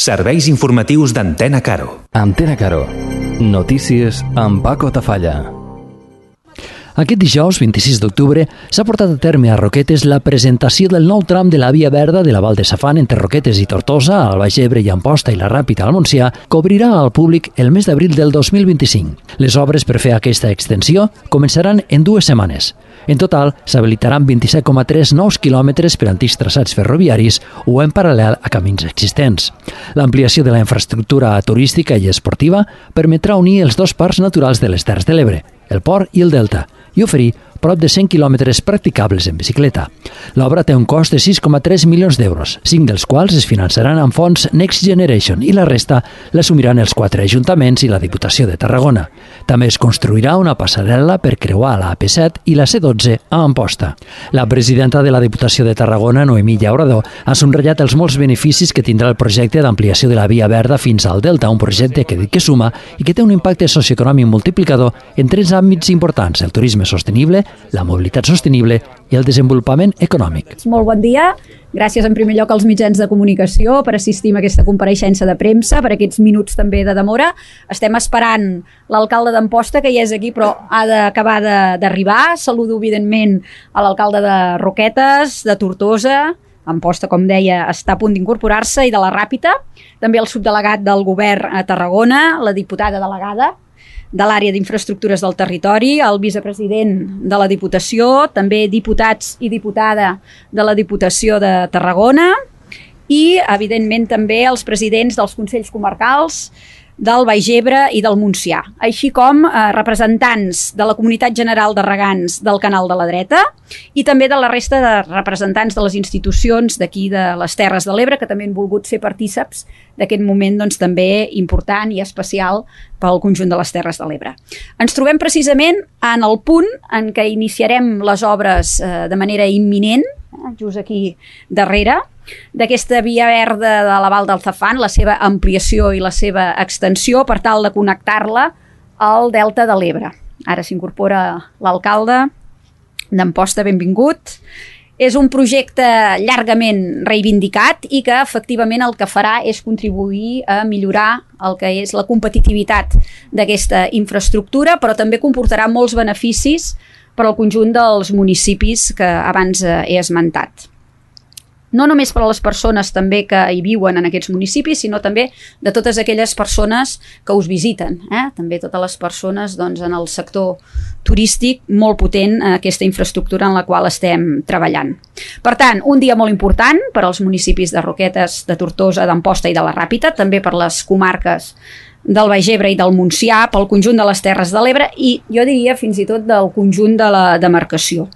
Serveis informatius d'Antena Caro. Antena Caro. Notícies amb Paco Tafalla. Aquest dijous, 26 d'octubre, s'ha portat a terme a Roquetes la presentació del nou tram de la via verda de la Val de Safant entre Roquetes i Tortosa, al Baix Ebre i Amposta i la Ràpita al Montsià, que obrirà al públic el mes d'abril del 2025. Les obres per fer aquesta extensió començaran en 2 setmanes. En total, s'habilitaran 27,3 nous quilòmetres per antics traçats ferroviaris o en paral·lel a camins existents. L'ampliació de la infraestructura turística i esportiva permetrà unir els 2 parcs naturals de les Terres de l'Ebre, el Port i el Delta, i oferir prop de 100 quilòmetres practicables en bicicleta. L'obra té un cost de 6,3 milions d'euros, 5 dels quals es finançaran amb fons Next Generation i la resta l'assumiran els 4 ajuntaments i la Diputació de Tarragona. També es construirà una passarel·la per creuar la AP7 i la C12 a Amposta. La presidenta de la Diputació de Tarragona, Noemí Llaurador, ha subratllat els molts beneficis que tindrà el projecte d'ampliació de la via verda fins al Delta, un projecte que suma i que té un impacte socioeconòmic multiplicador en 3 àmbits importants: el turisme sostenible, la mobilitat sostenible i el desenvolupament econòmic. Molt bon dia. Gràcies en primer lloc als mitjans de comunicació per assistir a aquesta compareixença de premsa, per aquests minuts també de demora. Estem esperant l'alcalde d'Amposta, que ja és aquí però ha d'acabar d'arribar. Saludo evidentment a l'alcalde de Roquetes, de Tortosa, Amposta, com deia, està a punt d'incorporar-se, i de la Ràpita, també el subdelegat del govern a Tarragona, la diputada delegada de l'àrea d'infraestructures del territori, el vicepresident de la Diputació, també diputats i diputada de la Diputació de Tarragona i, evidentment, també els presidents dels Consells Comarcals del Baix Ebre i del Montsià, així com representants de la Comunitat General de Regants del Canal de la Dreta i també de la resta de representants de les institucions d'aquí de les Terres de l'Ebre, que també han volgut ser partíceps d'aquest moment també important i especial pel conjunt de les Terres de l'Ebre. Ens trobem precisament en el punt en què iniciarem les obres de manera imminent, just aquí darrere, d'aquesta via verda de la Val del Safant, la seva ampliació i la seva extensió per tal de connectar-la al Delta de l'Ebre. Ara s'incorpora l'alcalde d'Amposta, benvingut. És un projecte llargament reivindicat i que efectivament el que farà és contribuir a millorar el que és la competitivitat d'aquesta infraestructura, però també comportarà molts beneficis per al conjunt dels municipis que abans he esmentat. No només per a les persones també que hi viuen en aquests municipis, sinó també de totes aquelles persones que us visiten. També totes les persones en el sector turístic, molt potent aquesta infraestructura en la qual estem treballant. Per tant, un dia molt important per als municipis de Roquetes, de Tortosa, d'Amposta i de la Ràpita, també per les comarques del Baix Ebre i del Montsià, pel conjunt de les Terres de l'Ebre i jo diria fins i tot del conjunt de la demarcació.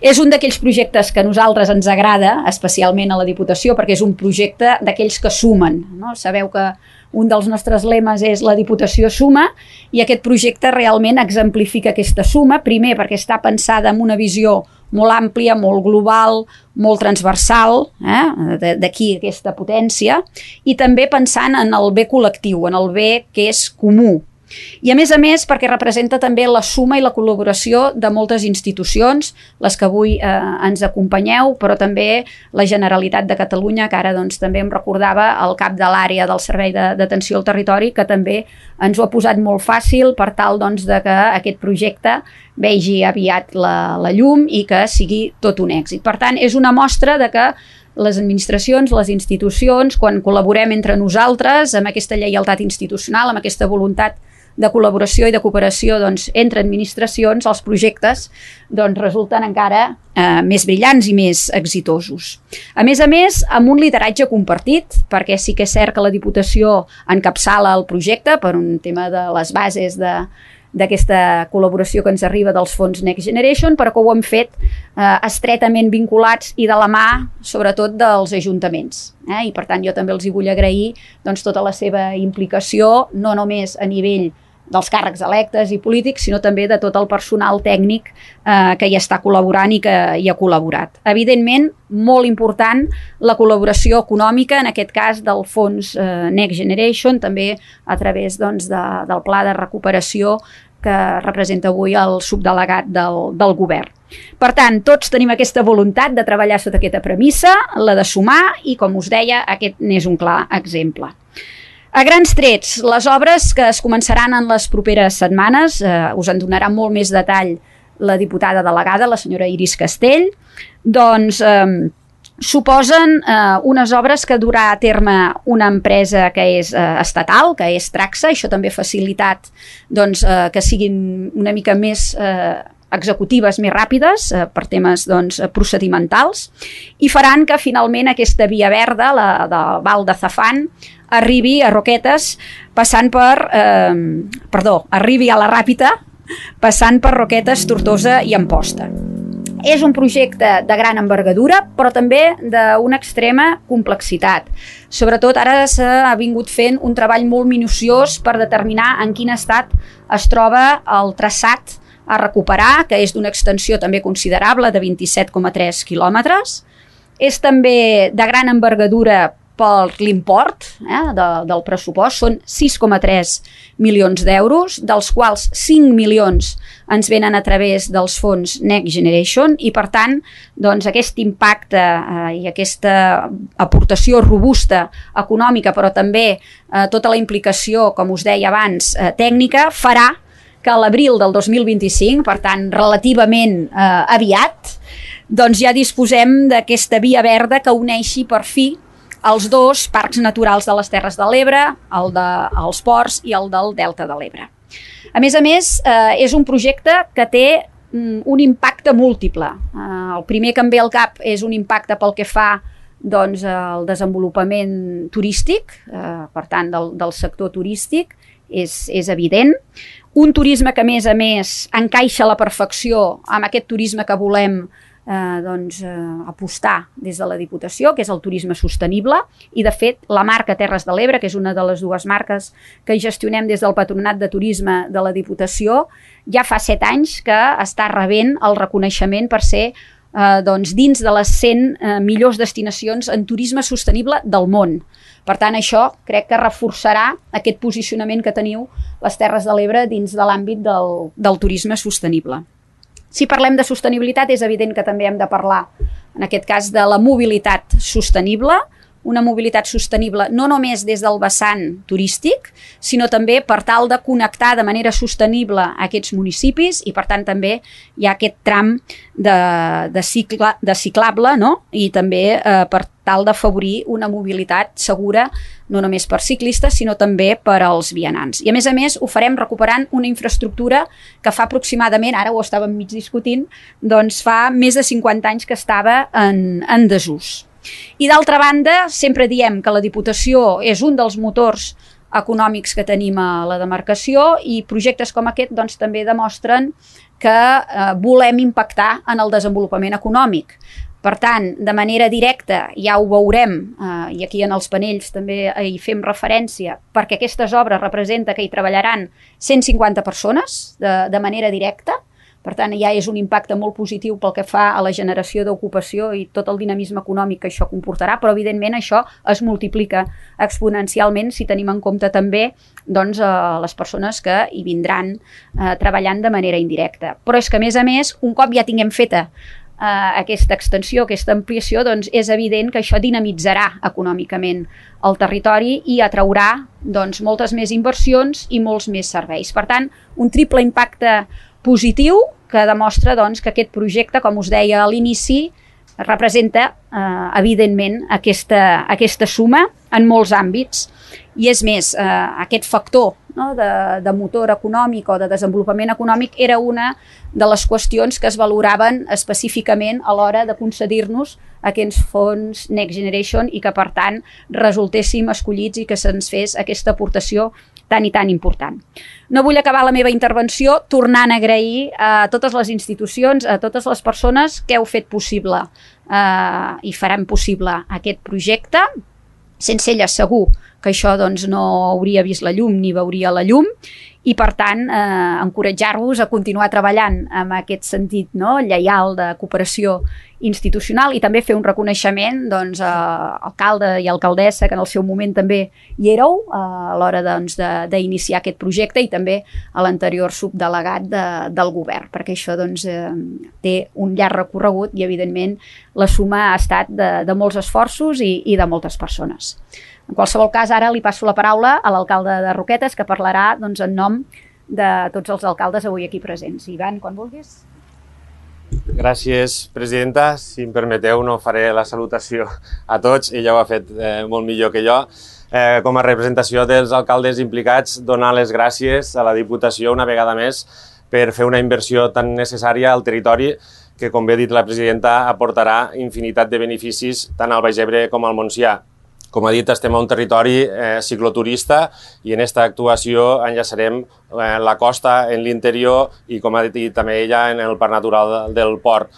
És un d'aquells projectes que a nosaltres ens agrada, especialment a la Diputació, perquè és un projecte d'aquells que sumen. Sabeu que un dels nostres lemes és la Diputació suma, i aquest projecte realment exemplifica aquesta suma, primer perquè està pensada amb una visió molt àmplia, molt global, molt transversal, d'aquí aquesta potència, i també pensant en el bé col·lectiu, en el bé que és comú. I a més perquè representa també la suma i la col·laboració de moltes institucions, les que avui ens acompanyeu, però també la Generalitat de Catalunya, que ara també em recordava el cap de l'àrea del Servei d'Atenció al Territori, que també ens ho ha posat molt fàcil per tal de que aquest projecte vegi aviat la llum i que sigui tot un èxit. Per tant, és una mostra de que les administracions, les institucions, quan col·laborem entre nosaltres amb aquesta lleialtat institucional, amb aquesta voluntat de col·laboració i de cooperació entre administracions, els projectes resulten encara més brillants i més exitosos. A més, amb un lideratge compartit, perquè sí que és cert que la Diputació encapçala el projecte per un tema de les bases d'aquesta col·laboració que ens arriba dels fons Next Generation, però que ho hem fet estretament vinculats i de la mà, sobretot, dels ajuntaments. I per tant jo també els hi vull agrair tota la seva implicació, no només a nivell dels càrrecs electes i polítics, sinó també de tot el personal tècnic que hi està col·laborant i que hi ha col·laborat. Evidentment, molt important la col·laboració econòmica, en aquest cas del fons Next Generation, també a través del pla de recuperació que representa avui el subdelegat del govern. Per tant, tots tenim aquesta voluntat de treballar sota aquesta premissa, la de sumar, i com us deia, aquest n'és un clar exemple. A grans trets, les obres que es començaran en les properes setmanes, us en donarà molt més detall la diputada delegada, la senyora Iris Castell, doncs suposen unes obres que durà a terme una empresa que és estatal, que és Traxa. Això també ha facilitat doncs, que siguin una mica més executives, més ràpides, per temes doncs, procedimentals, i faran que finalment aquesta via verda, la de Val de Zafán, arribi a Roquetes passant per... arribi a la Ràpita passant per Roquetes, Tortosa i Amposta. És un projecte de gran envergadura, però també d'una extrema complexitat. Sobretot ara s'ha vingut fent un treball molt minuciós per determinar en quin estat es troba el traçat a recuperar, que és d'una extensió també considerable de 27,3 quilòmetres. És també de gran envergadura per l'import del pressupost, són 6,3 milions d'euros, dels quals 5 milions ens venen a través dels fons Next Generation, i per tant doncs, aquest impacte i aquesta aportació robusta econòmica, però també tota la implicació, com us deia abans, tècnica, farà que a l'abril del 2025, per tant relativament aviat, doncs ja disposem d'aquesta via verda que uneixi per fi els dos parcs naturals de les Terres de l'Ebre, el dels ports i el del Delta de l'Ebre. A més, és un projecte que té un impacte múltiple. El primer que em ve al cap és un impacte pel que fa doncs, al desenvolupament turístic, per tant, del sector turístic, és evident. Un turisme que, a més, encaixa a la perfecció amb aquest turisme que volem apostar des de la Diputació, que és el turisme sostenible, i de fet la marca Terres de l'Ebre, que és una de les dues marques que gestionem des del Patronat de Turisme de la Diputació, ja fa 7 anys que està rebent el reconeixement per ser dins de les 100 millors destinacions en turisme sostenible del món. Per tant, això crec que reforçarà aquest posicionament que teniu les Terres de l'Ebre dins de l'àmbit del turisme sostenible. Si parlem de sostenibilitat, és evident que també hem de parlar, en aquest cas, de la mobilitat sostenible, una mobilitat sostenible no només des del vessant turístic, sinó també per tal de connectar de manera sostenible aquests municipis, i per tant també hi ha aquest tram de ciclable, no? I també per tal d'afavorir una mobilitat segura no només per ciclistes, sinó també per als vianants. I a més, ho farem recuperant una infraestructura que fa aproximadament, ara ho estàvem mig discutint, doncs fa més de 50 anys que estava en desús. I d'altra banda, sempre diem que la Diputació és un dels motors econòmics que tenim a la demarcació, i projectes com aquest doncs, també demostren que volem impactar en el desenvolupament econòmic. Per tant, de manera directa, ja ho veurem, i aquí en els panells també hi fem referència, perquè aquestes obres representa que hi treballaran 150 persones de manera directa. Per tant, ja és un impacte molt positiu pel que fa a la generació d'ocupació i tot el dinamisme econòmic que això comportarà, però evidentment això es multiplica exponencialment si tenim en compte també doncs, les persones que hi vindran treballant de manera indirecta. Però és que, a més, un cop ja tinguem feta aquesta extensió, aquesta ampliació, doncs és evident que això dinamitzarà econòmicament el territori i atraurà doncs, moltes més inversions i molts més serveis. Per tant, un triple impacte positiu que demostra doncs, que aquest projecte, com us deia a l'inici, representa evidentment aquesta suma en molts àmbits. I és més, aquest factor de motor econòmic o de desenvolupament econòmic era una de les qüestions que es valoraven específicament a l'hora de concedir-nos aquests fons Next Generation, i que per tant resultéssim escollits i que se'ns fes aquesta aportació tan i tan important. No vull acabar la meva intervenció tornant a agrair a totes les institucions, a totes les persones que heu fet possible i faran possible aquest projecte. Sense elles segur que això doncs, no hauria vist la llum ni veuria la llum, i per tant encoratjar-vos a continuar treballant amb aquest sentit lleial de cooperació institucional i també fer un reconeixement doncs, a alcalde i alcaldessa, que en el seu moment també hi éreu a l'hora d'iniciar aquest projecte, i també a l'anterior subdelegat del govern, perquè això doncs, té un llarg recorregut i evidentment la suma ha estat de molts esforços i de moltes persones. En qualsevol cas, ara li passo la paraula a l'alcalde de Roquetes, que parlarà doncs, en nom de tots els alcaldes avui aquí presents. Ivan, quan vulguis. Gràcies, presidenta. Si em permeteu, no faré la salutació a tots, ella ho ha fet molt millor que jo. Com a representació dels alcaldes implicats, donar les gràcies a la Diputació una vegada més per fer una inversió tan necessària al territori que, com bé ha dit la presidenta, aportarà infinitat de beneficis tant al Baix Ebre com al Montsià. Com ha dit, estem a un territori cicloturista i en aquesta actuació enllaçarem la costa en l'interior i, com ha dit també ella, en el parc natural del port.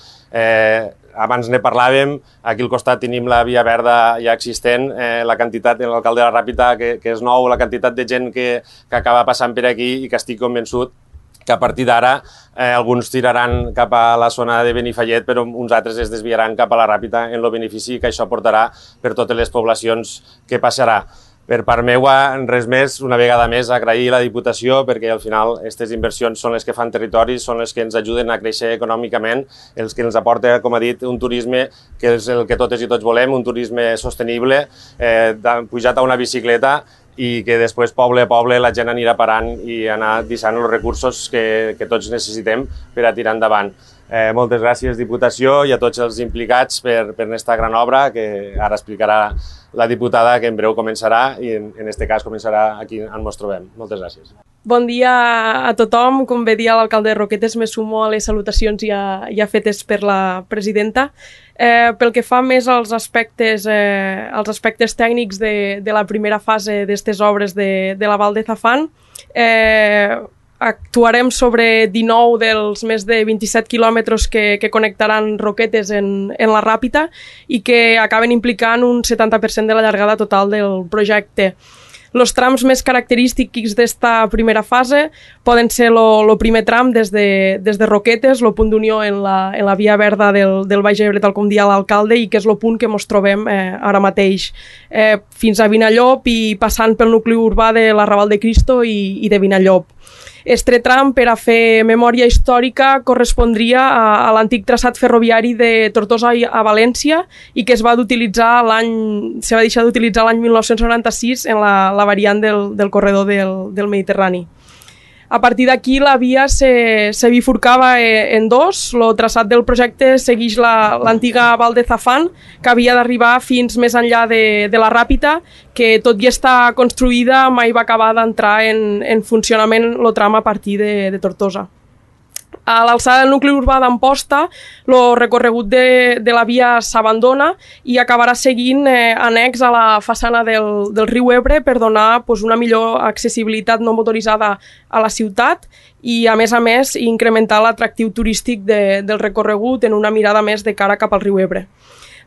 Abans ne parlàvem, aquí al costat tenim la via verda ja existent, la quantitat, l'alcalde de la Ràpita, que és nou, la quantitat de gent que acaba passant per aquí i que estic convençut que a partir d'ara alguns tiraran cap a la zona de Benifallet, però uns altres es desviaran cap a la Ràpita en el benefici que això portarà per totes les poblacions que passarà. Per part meua, res més, una vegada més, agrair a la Diputació perquè al final aquestes inversions són les que fan territoris, són les que ens ajuden a créixer econòmicament, els que ens aporta, com ha dit, un turisme que és el que totes i tots volem, un turisme sostenible, pujat a una bicicleta, i que després, poble a poble, la gent anirà parant i anar deixant els recursos que tots necessitem per a tirar endavant. Moltes gràcies, Diputació, i a tots els implicats per aquesta gran obra que ara explicarà la diputada, que en breu començarà i en aquest cas començarà aquí on ens trobem. Moltes gràcies. Bon dia a tothom. Com bé dia l'alcalde de Roquetes, me sumo a les salutacions ja fetes per la presidenta. Pel que fa més als aspectes tècnics de la primera fase d'aquestes obres de la Val de Zafán, actuarem sobre 19 dels més de 27 quilòmetres que connectaran Roquetes en la Ràpita i que acaben implicant un 70% de la llargada total del projecte. Els trams més característics d'esta primera fase poden ser el primer tram des de Roquetes, el punt d'unió en la via verda del Baix Ebre, tal com dia l'alcalde, i que és el punt que ens trobem ara mateix, fins a Vinallop i passant pel nucli urbà de l'Arrabal de Cristo i de Vinallop. Este tram, per a fer memòria històrica, correspondria a l'antic traçat ferroviari de Tortosa a València i que se va deixar d'utilitzar l'any 1996 en la variant del corredor del Mediterrani. A partir d'aquí la via se bifurcava en dos. El traçat del projecte segueix l'antiga Val de Zafán, que havia d'arribar fins més enllà de la Ràpita, que tot i estar construïda mai va acabar d'entrar en funcionament el tram a partir de Tortosa. A l'alçada del nucli urbà d'Amposta, el recorregut de la via s'abandona i acabarà seguint annex a la façana del riu Ebre per donar una millor accessibilitat no motoritzada a la ciutat i, a més, incrementar l'atractiu turístic del recorregut en una mirada més de cara cap al riu Ebre.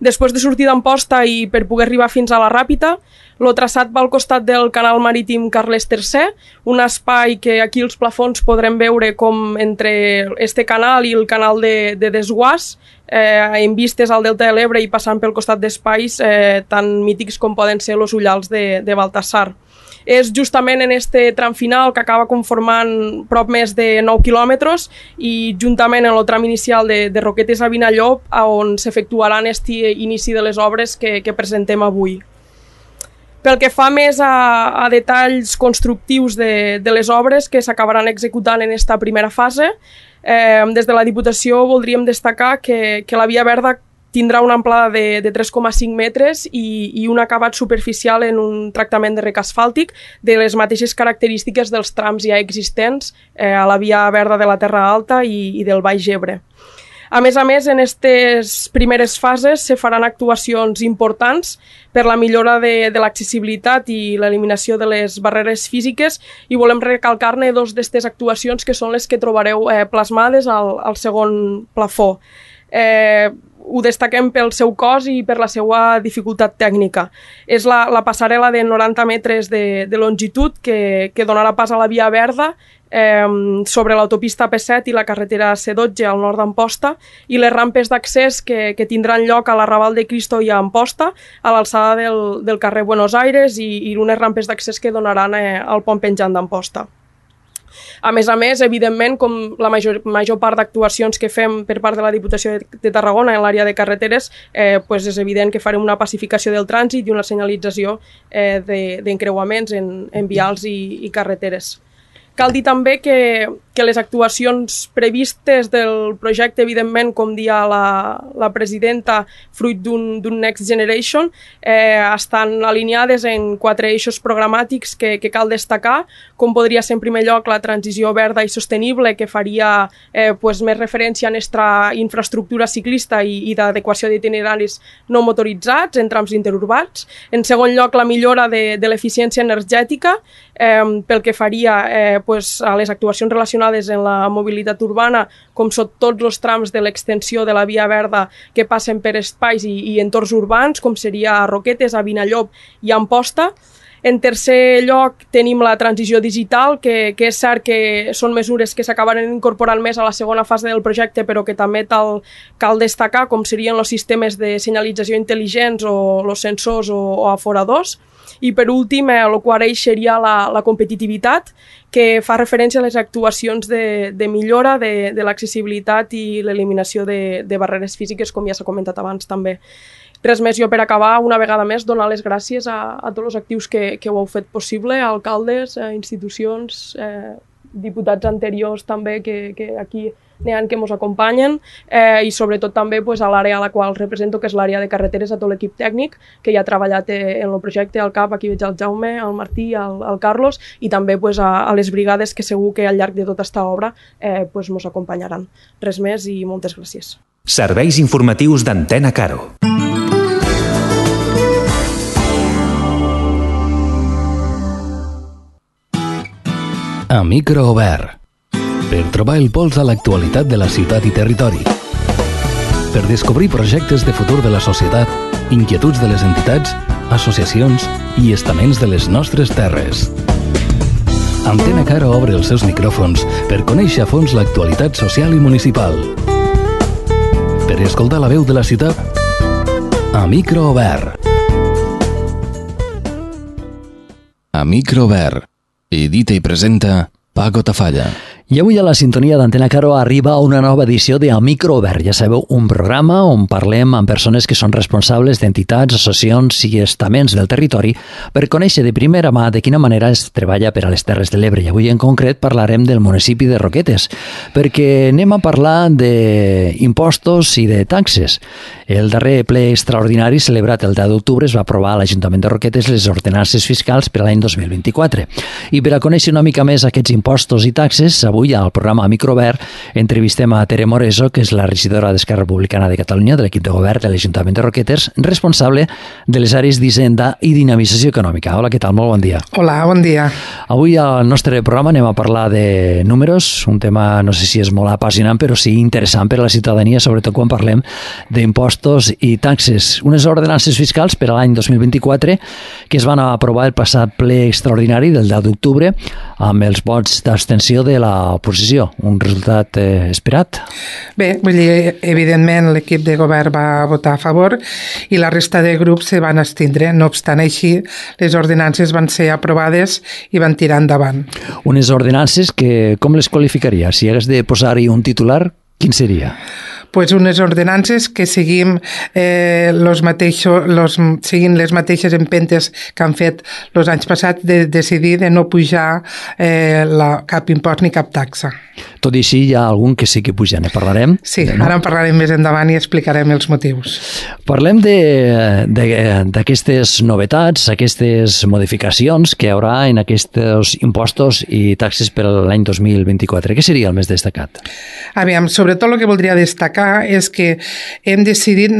Després de sortir d'Amposta i per poder arribar fins a la Ràpita, el traçat va al costat del canal marítim Carles III, un espai que aquí als plafons podrem veure com entre este canal i el canal de Desguàs, en vistes al Delta de l'Ebre i passant pel costat d'espais tan mítics com poden ser els ullals de Baltasar. És justament en este tram final que acaba conformant prop més de 9 quilòmetres i juntament en el tram inicial de Roquetes a Vinallop on s'efectuaran este inici de les obres que presentem avui. Pel que fa més a detalls constructius de les obres que s'acabaran executant en esta primera fase, des de la Diputació voldríem destacar que la via verda tindrà una amplada de 3,5 metres i un acabat superficial en un tractament de rec asfàltic de les mateixes característiques dels trams ja existents a la via verda de la Terra Alta i del Baix Ebre. A més, en aquestes primeres fases se faran actuacions importants per la millora de l'accessibilitat i l'eliminació de les barreres físiques i volem recalcar-ne dos d'aquestes actuacions que són les que trobareu plasmades al segon plafó. ho destaquem pel seu cost i per la seva dificultat tècnica. És la passarel·la de 90 metres de longitud que donarà pas a la Via Verda sobre l'autopista P7 i la carretera C12 al nord d'Amposta, i les rampes d'accés que tindran lloc a l'Arrabal de Cristo i a Amposta, a l'alçada del carrer Buenos Aires, i unes rampes d'accés que donaran al pont penjant d'Amposta. A més, evidentment, com la major part d'actuacions que fem per part de la Diputació de Tarragona en l'àrea de carreteres, és evident que farem una pacificació del trànsit i una senyalització d'encreuaments en vials i carreteres. Cal dir també que les actuacions previstes del projecte, evidentment, com dia la presidenta, fruit d'un Next Generation, estan alineades en 4 eixos programàtics que cal destacar, com podria ser en primer lloc la transició verda i sostenible, que faria més referència a nostra infraestructura ciclista i d'adequació d'itineraris no motoritzats en trams interurbans. En segon lloc, la millora de l'eficiència energètica, pel que faria a les actuacions relacionades amb la mobilitat urbana, com són tots els trams de l'extensió de la Via Verda que passen per espais i entorns urbans, com seria a Roquetes, a Vinallop i a Amposta. En tercer lloc tenim la transició digital, que és cert que són mesures que s'acabaran incorporant més a la segona fase del projecte, però que també cal destacar, com serien els sistemes de senyalització intel·ligents o els sensors o aforadors. I per últim, el quart eix seria la competitivitat, que fa referència a les actuacions de millora de l'accessibilitat i l'eliminació de barreres físiques, com ja s'ha comentat abans també. Res més, jo per acabar, una vegada més, donar les gràcies a tots els actius que ho heu fet possible, alcaldes, institucions, diputats anteriors també, que aquí n'hi ha que ens acompanyen, i sobretot també a l'àrea a la qual represento, que és l'àrea de carreteres, a tot l'equip tècnic que ja ha treballat en el projecte, al CAP, aquí veig el Jaume, el Martí, el Carlos, i també a les brigades que segur que al llarg de tota aquesta obra ens acompanyaran. Res més i moltes gràcies. Serveis informatius d'Antena Caro. A micro obert. Per trobar el pols a l'actualitat de la ciutat i territori. Per descobrir projectes de futur de la societat, inquietuds de les entitats, associacions i estaments de les nostres terres. Antena Caro obre els seus micròfons per conèixer a fons l'actualitat social i municipal. Per escoltar la veu de la ciutat, a micro obert. A micro obert. Edita i presenta Paco Tafalla. I avui a la sintonia d'Antena Caro arriba una nova edició de A Micro Obert. Ja sabeu, un programa on parlem amb persones que són responsables d'entitats, associacions i estaments del territori per conèixer de primera mà de quina manera es treballa per a les Terres de l'Ebre. I avui en concret parlarem del municipi de Roquetes, perquè anem a parlar d'impostos i de taxes. El darrer ple extraordinari celebrat el 10 d'octubre es va aprovar a l'Ajuntament de Roquetes les ordenances fiscals per a l'any 2024. I per a conèixer una mica més aquests impostos i taxes, avui al programa Microobert entrevistem a Tere Moreso, que és la regidora d'Esquerra Republicana de Catalunya de l'equip de govern de l'Ajuntament de Roquetes, responsable de les àrees d'Hisenda i Dinamització Econòmica. Hola, què tal? Molt bon dia. Hola, bon dia. Avui al nostre programa anem a parlar de números, un tema no sé si és molt apassionant, però sí interessant per a la ciutadania, sobretot quan parlem d'impostos i taxes. Unes ordenances fiscals per a l'any 2024 que es van aprovar el passat ple extraordinari del 10 d'octubre amb els vots d'abstenció de l'oposició. Un resultat esperat? Bé, vull dir, evidentment l'equip de govern va votar a favor i la resta de grups se van abstindre. No obstant així, les ordenances van ser aprovades i van tirar endavant. Unes ordenances que, com les qualificaria? Si hagués de posar-hi un titular, quin seria? Pues unes ordenances que seguim seguint les mateixes empentes que han fet els anys passats de decidir de no pujar cap impost ni cap taxa. Tot i així hi ha algun que sí que puja, ne parlarem? Sí, ara en parlarem més endavant i explicarem els motius. Parlem d'aquestes novetats, aquestes modificacions que hi haurà en aquests impostos i taxes per l'any 2024. Què seria el més destacat? Aviam, sobretot el que voldria destacar explicar és que hem decidit,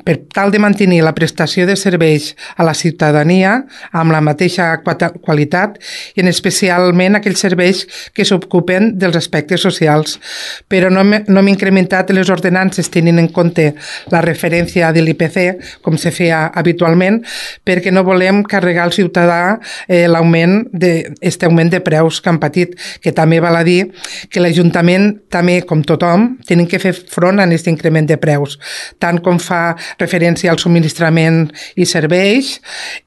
per tal de mantenir la prestació de serveis a la ciutadania amb la mateixa qualitat i en especialment aquells serveis que s'ocupen dels aspectes socials. Però no hem incrementat les ordenances tenint en compte la referència de l'IPC, com se feia habitualment, perquè no volem carregar al ciutadà augment de preus que han patit, que també val a dir que l'Ajuntament també, com tothom, tenen que fer front a aquest increment de preus, tant com fa referència al subministrament i serveis,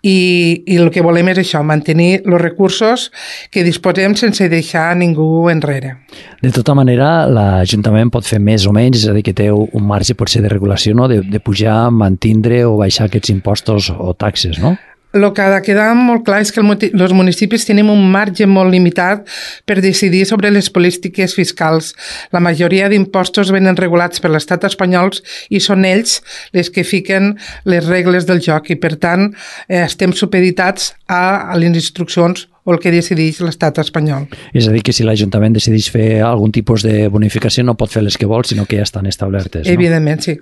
i el que volem és això, mantenir els recursos que disposem sense deixar ningú enrere. De tota manera, l'Ajuntament pot fer més o menys, és a dir, que té un marge potser de regulació, no? de pujar, mantindre o baixar aquests impostos o taxes, no? El que ha de quedar molt clar és que els municipis tenim un marge molt limitat per decidir sobre les polítiques fiscals. La majoria d'impostos venen regulats per l'estat espanyol i són ells les que fiquen les regles del joc i, per tant, estem supeditats a les instruccions o el que decideix l'estat espanyol. És a dir, que si l'Ajuntament decideix fer algun tipus de bonificació no pot fer les que vol, sinó que ja estan establertes, no? Evidentment, sí.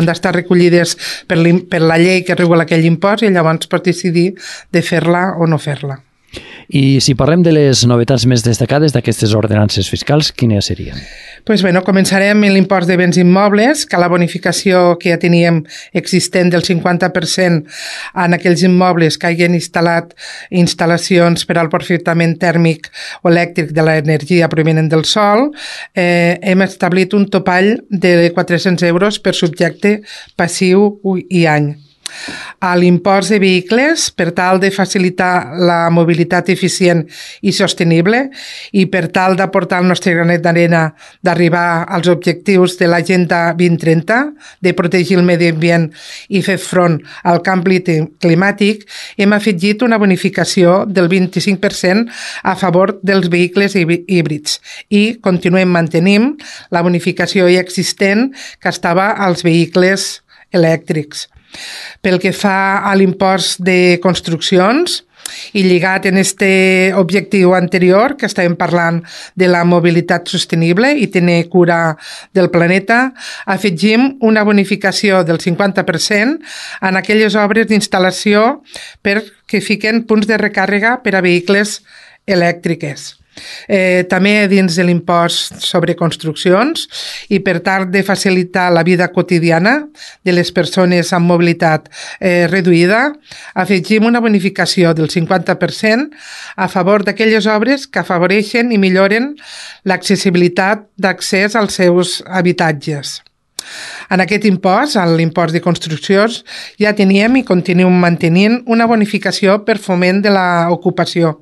Han d'estar recollides per la llei que regula aquell impost i llavors pots decidir de fer-la o no fer-la. I si parlem de les novetats més destacades d'aquestes ordenances fiscals, quines serien? Començarem amb l'impost de béns immobles, que la bonificació que ja teníem existent del 50% en aquells immobles que hagin instal·lat instal·lacions per al aprofitament tèrmic o elèctric de l'energia provinent del sol, hem establit un topall de 400 euros per subjecte passiu i any. A l'impost de vehicles, per tal de facilitar la mobilitat eficient i sostenible i per tal d'aportar el nostre granet d'arena d'arribar als objectius de l'Agenda 2030, de protegir el medi ambient i fer front al canvi climàtic, hem afegit una bonificació del 25% a favor dels vehicles híbrids i continuem mantenint la bonificació ja existent que estava als vehicles elèctrics. Pel que fa a l'impost de construccions, i lligat en este objectiu anterior, que estàvem parlant de la mobilitat sostenible i tenir cura del planeta, afegim una bonificació del 50% en aquelles obres d'instal·lació que fiquen punts de recàrrega per a vehicles elèctriques. També dins de l'impost sobre construccions i per tal de facilitar la vida quotidiana de les persones amb mobilitat reduïda, afegim una bonificació del 50% a favor d'aquelles obres que afavoreixen i milloren l'accessibilitat d'accés als seus habitatges. En aquest impost, en l'impost de construccions, ja teníem i continuem mantenint una bonificació per foment de l'ocupació.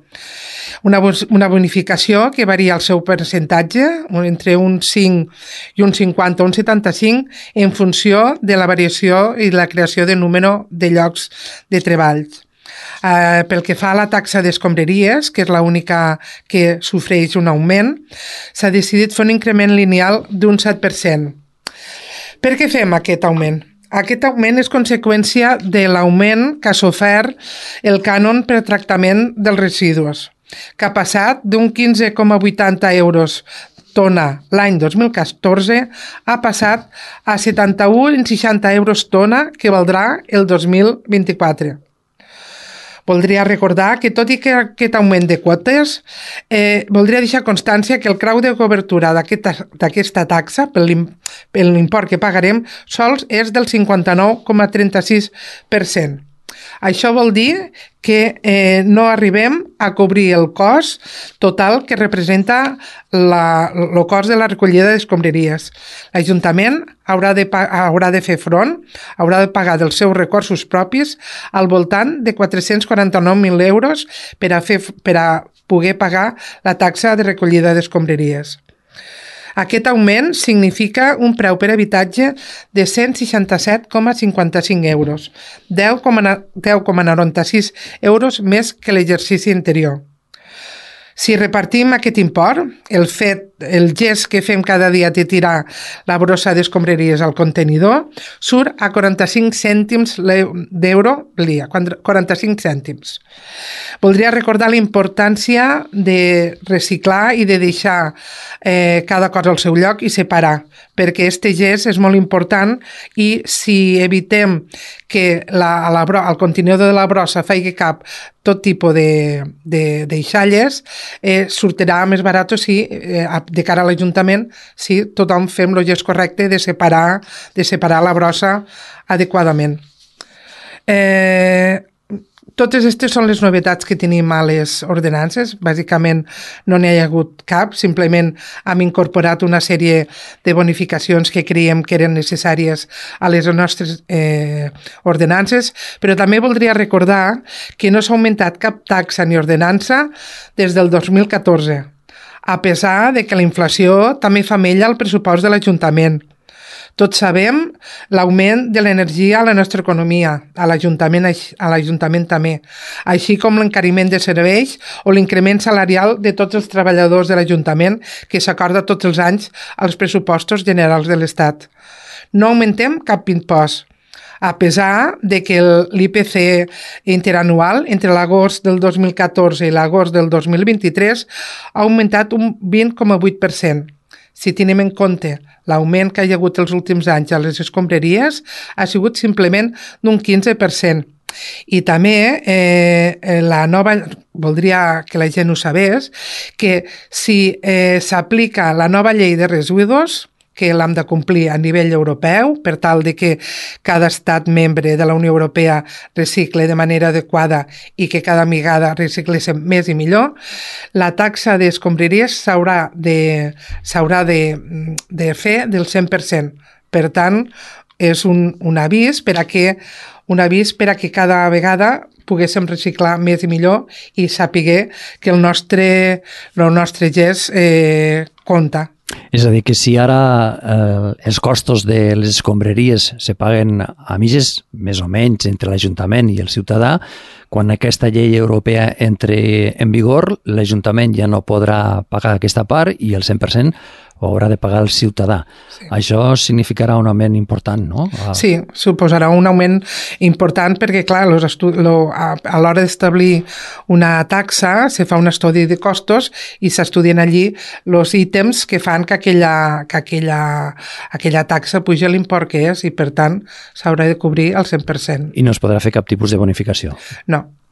Una bonificació que varia el seu percentatge entre un 5 i un 50 o un 75 en funció de la variació i la creació de número de llocs de treball. Pel que fa a la taxa d'escombraries, que és l'única que sofreix un augment, s'ha decidit fer un increment lineal d'un 7%. Per què fem aquest augment? Aquest augment és conseqüència de l'augment que ha sofert el cànon per tractament dels residus, que ha passat d'un 15,80 euros tona l'any 2014 ha passat a 71,60 euros tona que valdrà el 2024. Voldria recordar que, tot i que aquest augment de quotes, voldria deixar constància que el grau de cobertura d'aquesta taxa, per l'import que pagarem, sols és del 59,36%. Això vol dir que no arribem a cobrir el cost total que representa el cost de la recollida d'escombraries. L'Ajuntament haurà de fer front, haurà de pagar dels seus recursos propis al voltant de 449.000 euros per a poder pagar la taxa de recollida d'escombraries. Aquest augment significa un preu per habitatge de 167,55 euros, 10,96 euros més que l'exercici anterior. Si repartim aquest import, el fet el gest que fem cada dia de tirar la brossa d'escombraries al contenidor surt a 45 cèntims d'euro al dia, 45 cèntims. Voldria recordar la importància de reciclar i de deixar cada cosa al seu lloc i separar, perquè este gest és molt important i si evitem que al contenidor de la brossa faci cap tot tipus de deixalles, sortirà més barat si, de cara a l'Ajuntament, si tothom fem el gest correcte de separar la brossa adequadament. Totes aquestes són les novetats que tenim a les ordenances. Bàsicament no n'hi ha hagut cap, simplement hem incorporat una sèrie de bonificacions que creiem que eren necessàries a les nostres ordenances, però també voldria recordar que no s'ha augmentat cap taxa ni ordenança des del 2014, a pesar de que la inflació també fa mella al pressupost de l'Ajuntament. Tots sabem l'augment de l'energia a la nostra economia, a l'Ajuntament també, així com l'encariment de serveis o l'increment salarial de tots els treballadors de l'Ajuntament que s'acorda tots els anys als pressupostos generals de l'Estat. No augmentem cap impost, a pesar de que l'IPC interanual entre l'agost del 2014 i l'agost del 2023 ha augmentat un 20,8%. Si tenim en compte l'augment que hi ha hagut els últims anys a les escombraries, ha sigut simplement d'un 15%. I també voldria que la gent ho sabés, que si s'aplica la nova llei de residus, que l'hem de complir a nivell europeu per tal de que cada estat membre de la Unió Europea recicle de manera adequada i que cada vegada recicléssim més i millor, la taxa d'escombraries s'haurà de fer del 100%. Per tant, és un avís per a que cada vegada poguéssim reciclar més i millor i saber que el nostre gest compta. És a dir, que si ara els costos de les escombraries se paguen a mitges, més o menys, entre l'Ajuntament i el ciutadà, quan aquesta llei europea entre en vigor, l'Ajuntament ja no podrà pagar aquesta part i el 100% ho haurà de pagar el ciutadà. Sí. Això significarà un augment important, no? Sí, suposarà un augment important perquè, clar, a l'hora d'establir una taxa se fa un estudi de costos i s'estudien allí els ítems que fan que aquella taxa pugi l'import que és i, per tant, s'haurà de cobrir al 100%. I no es podrà fer cap tipus de bonificació?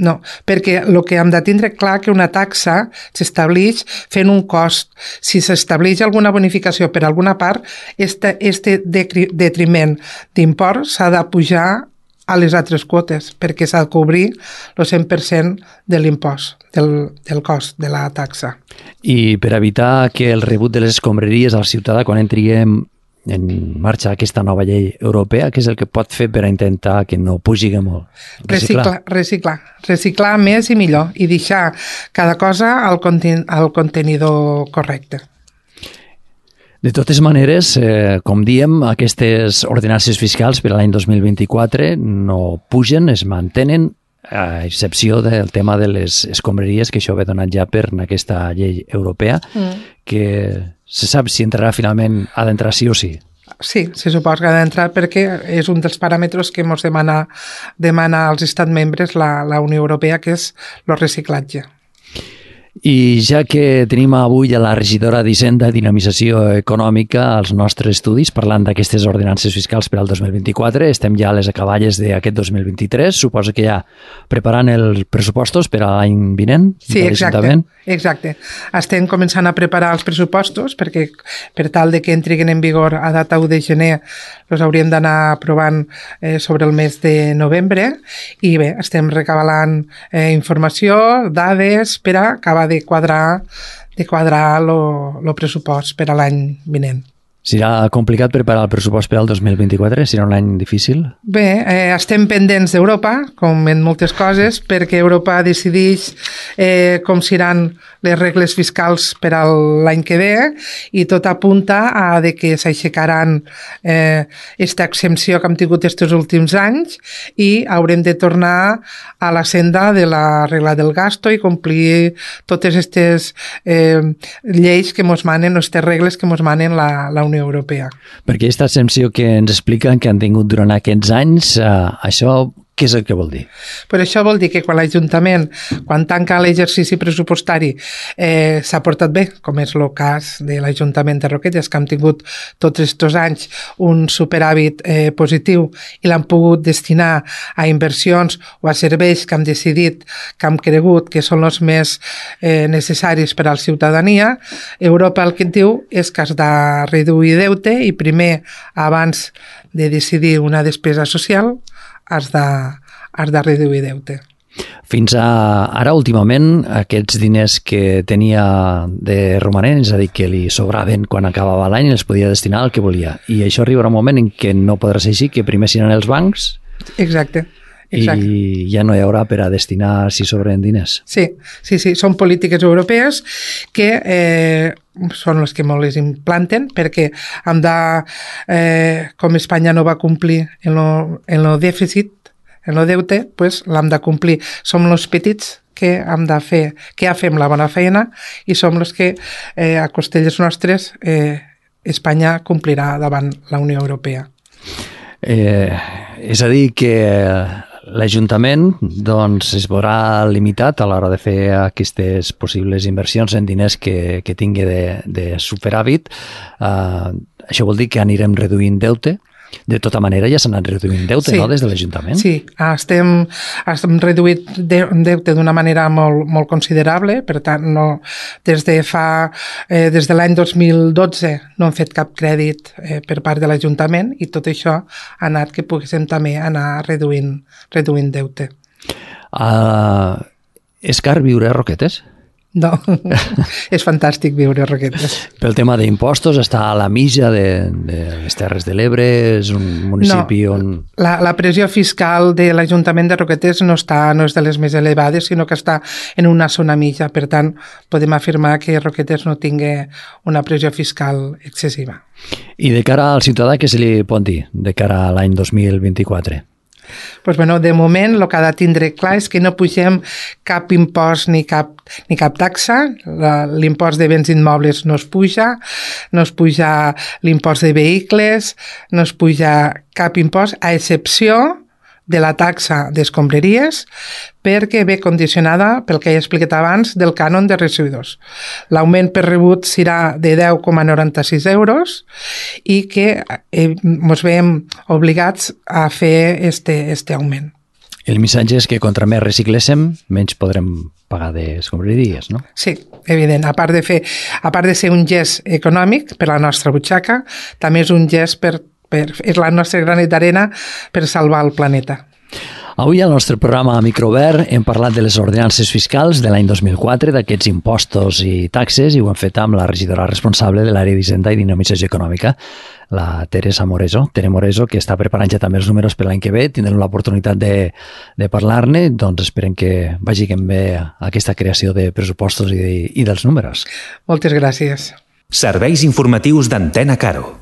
No, perquè el que hem de tindre clar que una taxa s'estableix fent un cost. Si s'estableix alguna bonificació per alguna part, este detriment d'import s'ha de pujar a les altres quotes, perquè s'ha de cobrir el 100% de l'impost, del cost de la taxa. I per evitar que el rebut de les escombraries al ciutadà quan entri en marxa aquesta nova llei europea, què és el que pot fer per a intentar que no pugi molt? Reciclar més i millor i deixar cada cosa al contenidor correcte. De totes maneres, com diem, aquestes ordenances fiscals per a l'any 2024 no pugen, es mantenen, a excepció del tema de les escombraries, que això ve donat ja per aquesta llei europea, que se sap si entrarà finalment, ha d'entrar sí o sí. Sí, se suposa que ha d'entrar perquè és un dels paràmetres que ens demana als estats membres la Unió Europea, que és el reciclatge. I ja que tenim avui a la regidora d'Hisenda i Dinamització Econòmica als nostres estudis parlant d'aquestes ordenances fiscals per al 2024, estem ja a les acaballes d'aquest 2023, suposo que ja preparant els pressupostos per a l'any vinent? Sí, exacte. Estem començant a preparar els pressupostos perquè per tal de que entrin en vigor a data 1 de gener els hauríem d'anar aprovant sobre el mes de novembre i bé, estem recabalant informació, dades per a acabar de quadrar el pressupost per a l'any vinent. Serà complicat preparar el pressupost per al 2024? Serà un any difícil? Bé, estem pendents d'Europa, com en moltes coses, perquè Europa decideix com seran les regles fiscals per a l'any que ve i tot apunta a de que s'aixecaran esta exempció que hem tingut aquests últims anys i haurem de tornar a la senda de la regla del gasto i complir totes aquestes lleis que ens manen, aquestes regles que ens manen la Unió Europea. Perquè aquesta exempció que ens expliquen que han tingut durant aquests anys, això què és el que vol dir? Però això vol dir que quan l'Ajuntament, quan tanca l'exercici pressupostari, s'ha portat bé, com és el cas de l'Ajuntament de Roquetes, que han tingut tots aquests anys un superàvit positiu i l'han pogut destinar a inversions o a serveis que hem decidit, que hem cregut que són els més necessaris per a la ciutadania, Europa el que et diu és que has de reduir deute i primer, abans de decidir una despesa social, has de reduir deute. Fins ara, últimament, aquests diners que tenia de romanent, és a dir, que li sobraven quan acabava l'any, els podia destinar al que volia. I això arribarà un moment en què no podrà ser així, que primer seran els bancs. Exacte. I ja no hi haurà per a destinar si sobren diners. Sí. Són polítiques europees que són les que molt les implanten perquè hem de, com Espanya no va complir en el dèficit, en el deute, pues l'hem de complir. Som els petits que hem de fer, que ja fem la bona feina i som els que a costelles nostres Espanya complirà davant la Unió Europea. És a dir que l'Ajuntament doncs, es veurà limitat a l'hora de fer aquestes possibles inversions en diners que tingui de superàvit. Això vol dir que anirem reduint deute. De tota manera ja s'ha anat reduint deute, no?, des de l'Ajuntament? Sí, estem reduït deute d'una manera molt considerable, per tant, des de l'any 2012 no hem fet cap crèdit per part de l'Ajuntament i tot això ha anat que poguéssim també anar reduint deute. És car viure a Roquetes? No, és fantàstic viure a Roquetes. Pel tema d'impostos, està a la mitja de les Terres de l'Ebre, és un municipi on... La pressió fiscal de l'Ajuntament de Roquetes no és de les més elevades, sinó que està en una zona mitja. Per tant, podem afirmar que Roquetes no tingui una pressió fiscal excessiva. I de cara al ciutadà, què se li pot dir de cara a l'any 2024? Pues bueno, de moment el que ha de tindre clar és que no pugem cap impost ni cap taxa. L'impost de béns immobles no es puja l'impost de vehicles, no es puja cap impost, a excepció de la taxa d'escombraries, perquè ve condicionada, pel que he explicat abans, del cànon de residus. L'augment per rebut serà de 10,96 euros i que ens veiem obligats a fer este augment. El missatge és que contra més recicléssim, menys podrem pagar d'escombraries, no? Sí, evident. A part de ser un gest econòmic per a la nostra butxaca, també és un gest és la nostra granet d'arena per salvar el planeta. Avui al nostre programa Microobert hem parlat de les ordenances fiscals de l'any 2004, d'aquests impostos i taxes, i ho hem fet amb la regidora responsable de l'àrea d'Hisenda i Dinamització Econòmica, la Teresa Moreso. Tere Moreso, que està preparant ja també els números per l'any que ve. Tindrem l'oportunitat de parlar-ne, doncs esperem que vagi bé aquesta creació de pressupostos i dels números. Moltes gràcies. Serveis informatius d'Antena Caro.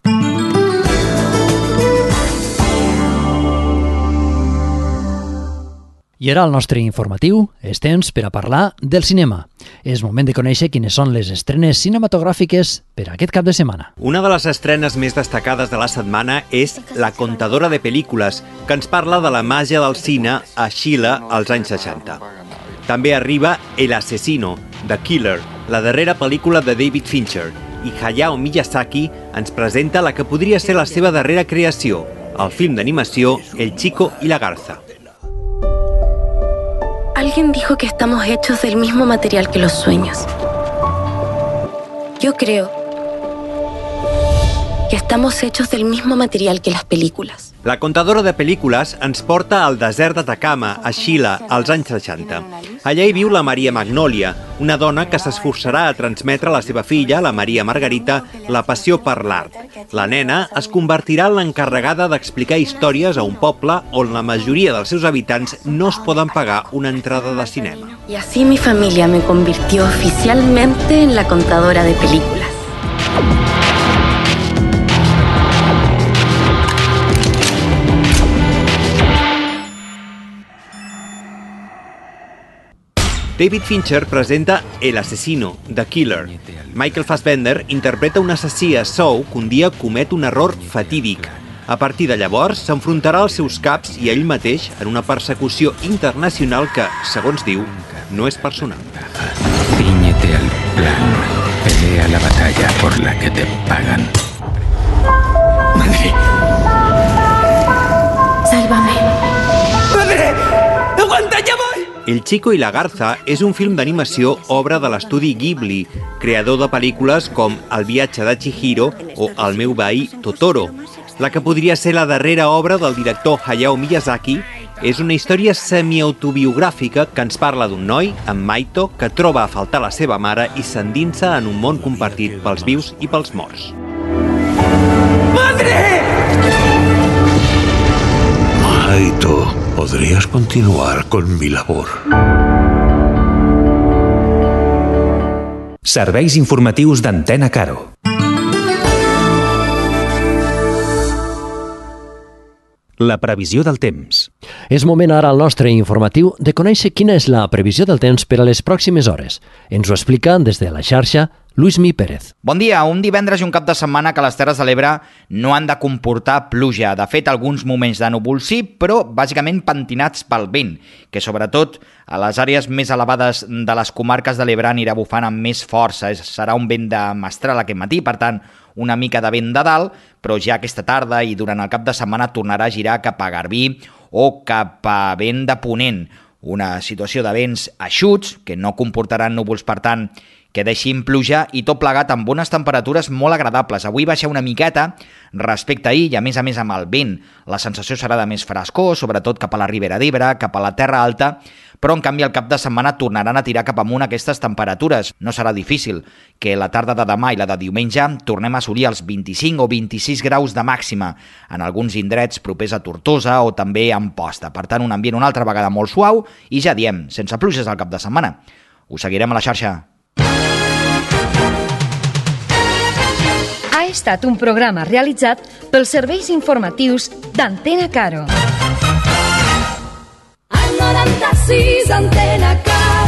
I ara al nostre informatiu és temps per a parlar del cinema. És moment de conèixer quines són les estrenes cinematogràfiques per a aquest cap de setmana. Una de les estrenes més destacades de la setmana és La contadora de pel·lícules, que ens parla de la màgia del cine a Xile als anys 60. També arriba El asesino, The Killer, la darrera pel·lícula de David Fincher, i Hayao Miyazaki ens presenta la que podria ser la seva darrera creació, el film d'animació El chico y la garza. Alguien dijo que estamos hechos del mismo material que los sueños. Yo creo que estamos hechos del mismo material que las películas. La contadora de pel·lícules ens porta al desert d'Atacama, a Xile, als anys 60. Allà hi viu la Maria Magnòlia, una dona que s'esforçarà a transmetre a la seva filla, la Maria Margarita, la passió per l'art. La nena es convertirà en l'encarregada d'explicar històries a un poble on la majoria dels seus habitants no es poden pagar una entrada de cinema. Y así mi familia me convirtió oficialmente en la contadora de películas. David Fincher presenta El asesino, The Killer. Michael Fassbender interpreta un assassí a Saw que un dia comet un error fatídic. A partir de llavors, s'enfrontarà als seus caps i a ell mateix en una persecució internacional que, segons diu, no és personal. Cíñete al plan. Pelea la batalla por la que te pagan. Madre. Sálvame. Madre. Aguanta, ya voy. El Chico i la Garza és un film d'animació obra de l'estudi Ghibli, creador de pel·lícules com El viatge de Chihiro o El meu veí Totoro. La que podria ser la darrera obra del director Hayao Miyazaki és una història semi-autobiogràfica que ens parla d'un noi, en Maito, que troba a faltar la seva mare i s'endinsa en un món compartit pels vius i pels morts. ¡Madre! Maito, podrías continuar con mi labor. Serveis informatius d'Antena Caro. La previsió del temps. És moment ara al nostre informatiu de conèixer quina és la previsió del temps per a les pròximes hores. Ens ho explica des de la xarxa Luismi Pérez. Bon dia. Un divendres i un cap de setmana que les Terres de l'Ebre no han de comportar pluja. De fet, alguns moments de núvol sí, però bàsicament pentinats pel vent, que sobretot a les àrees més elevades de les comarques de l'Ebre anirà bufant amb més força. Serà un vent de mestral aquest matí, per tant, una mica de vent de dalt, però ja aquesta tarda i durant el cap de setmana tornarà a girar cap a Garbí o cap a vent de ponent. Una situació de vents eixuts, que no comportaran núvols, per tant, que deixin pluja i tot plegat amb bones temperatures molt agradables. Avui baixa una miqueta respecte a ahir i a més amb el vent. La sensació serà de més frescor, sobretot cap a la Ribera d'Ebre, cap a la Terra Alta, però en canvi el cap de setmana tornaran a tirar cap amunt aquestes temperatures. No serà difícil que la tarda de demà i la de diumenge tornem a assolir els 25 o 26 graus de màxima en alguns indrets propers a Tortosa o també a Amposta. Per tant, un ambient una altra vegada molt suau i ja diem, sense pluges al cap de setmana. Us seguirem a la xarxa. Ha estat un programa realitzat pels serveis informatius d'Antena Caro. Al 96 Antena Caro.